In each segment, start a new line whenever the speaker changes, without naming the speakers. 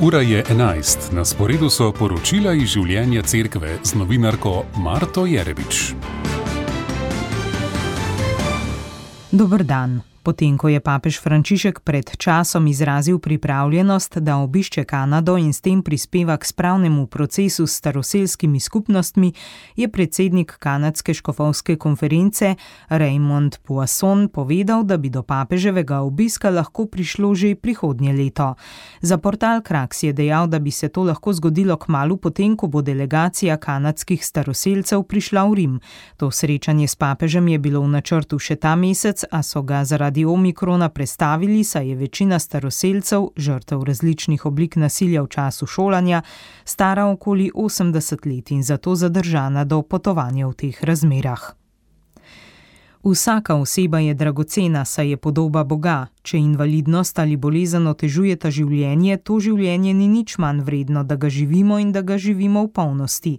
Ura je 11, na sporedu so poročila iz življenja cerkve z novinarko Marto Jerebič.
Dober dan. Potem, ko je papež Frančišek pred časom izrazil pripravljenost, da obišče Kanado in s tem prispeva k spravnemu procesu s staroselskimi skupnostmi, je predsednik kanadske škofovske konference Raymond Poisson povedal, da bi do papeževega obiska lahko prišlo že prihodnje leto. Za portal Kraks je dejal, da bi se to lahko zgodilo kmalu potem, ko bo delegacija kanadskih staroselcev prišla v Rim. To srečanje s papežem je bilo v načrtu še ta mesec, a so ga zaradi omikrona prestavili, saj je večina staroselcev, žrtev različnih oblik nasilja v času šolanja, stara okoli 80 let in zato zadržana do potovanja v teh razmerah. Vsaka oseba je dragocena, saj je podoba Boga. Če invalidnost ali bolezen otežujeta življenje, to življenje ni nič manj vredno, da ga živimo in da ga živimo v polnosti.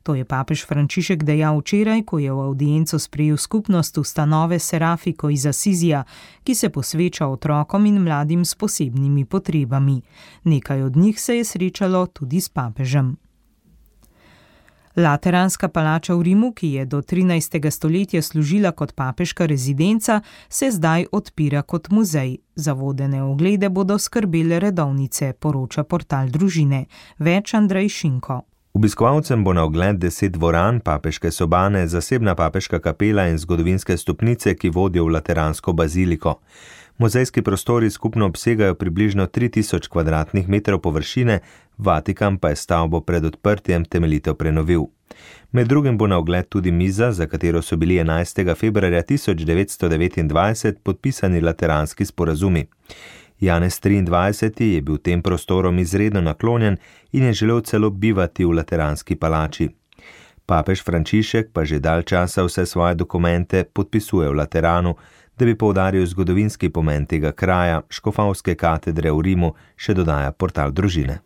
To je papež Frančišek dejal včeraj, ko je v avdienco sprejel skupnost ustanove Serafiko iz Asizija, ki se posveča otrokom in mladim s posebnimi potrebami. Nekaj od njih se je srečalo tudi s papežem. Lateranska palača v Rimu, ki je do 13. stoletja služila kot papeška rezidenca, se zdaj odpira kot muzej. Za vodene oglede bodo skrbele redovnice, poroča portal Družine. Več Andrej Šinko.
Obiskovalcem bo na ogled 10 dvoran, papeške sobane, zasebna papeška kapela in zgodovinske stopnice, ki vodijo v Lateransko baziliko. Muzejski prostori skupno obsegajo približno 3000 kvadratnih metrov površine, Vatikan pa je stavbo pred odprtjem temeljito prenovil. Med drugim bo na ogled tudi miza, za katero so bili 11. februarja 1929 podpisani lateranski sporazumi. Janez 23. je bil tem prostorom izredno naklonjen in je želel celo bivati v Lateranski palači. Papež Frančišek pa že dalj časa vse svoje dokumente podpisuje v Lateranu, da bi poudaril zgodovinski pomen tega kraja, škofovske katedre v Rimu, še dodaja portal Družine.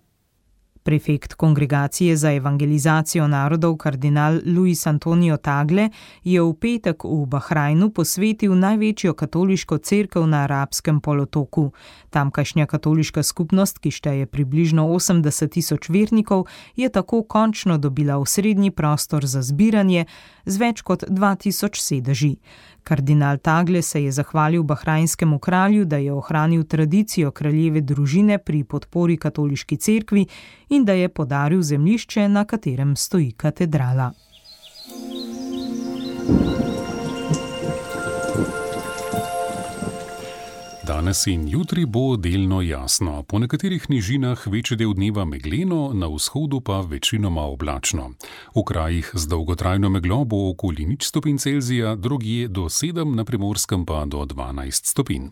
Prefekt Kongregacije za evangelizacijo narodov kardinal Luis Antonio Tagle je v petek v Bahrajnu posvetil največjo katoliško cerkev na arabskem polotoku. Tamkajšnja katoliška skupnost, ki šteje približno 80.000 vernikov, je tako končno dobila osrednji prostor za zbiranje z več kot 2000 sedeži. Kardinal Tagle se je zahvalil bahrajnskemu kralju, da je ohranil tradicijo kraljeve družine pri podpori katoliški cerkvi in da je podaril zemljišče, na katerem stoji katedrala.
Danes in jutri bo delno jasno, po nekaterih nižinah večji del dneva megleno, na vzhodu pa večinoma oblačno. V krajih z dolgotrajno meglo bo okoli 0 stopinj Celzija, drugje do 7, na Primorskem pa do 12 stopinj.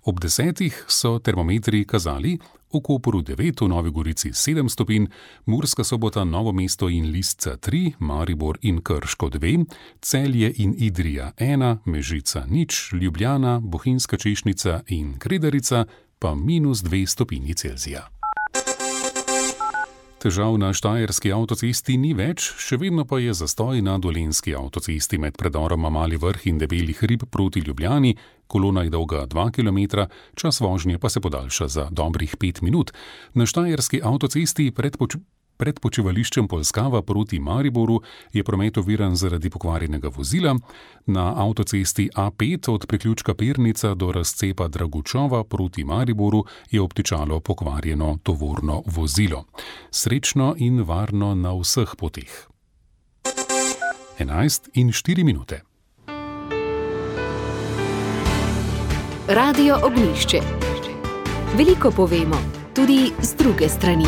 Ob 10 so termometri kazali v Kopru 9, v Novi Gorici 7 stopinj, Murska Sobota, Novo mesto in Lisca 3, Maribor in Krško 2, Celje in Idrija 1, Mežica 0, Ljubljana, Bohinjska Češnica in Kredarica pa -2 stopinji Celzija. Težav na štajerski avtocesti ni več, še vedno pa je zastoj na dolenjski avtocesti med predoroma Mali Vrh in Debeli hrib proti Ljubljani. Kolona je dolga 2 km, čas vožnje pa se podaljša za dobrih 5 minut. Na štajerski avtocesti pred počivališčem Polskava proti Mariboru je promet oviran zaradi pokvarjenega vozila. Na avtocesti A5 od priključka Pernica do razcepa Dragučova proti Mariboru je obtičalo pokvarjeno tovorno vozilo. Srečno in varno na vseh poteh. 11:04.
Radio Ognjišče. Veliko povemo, tudi z druge strani.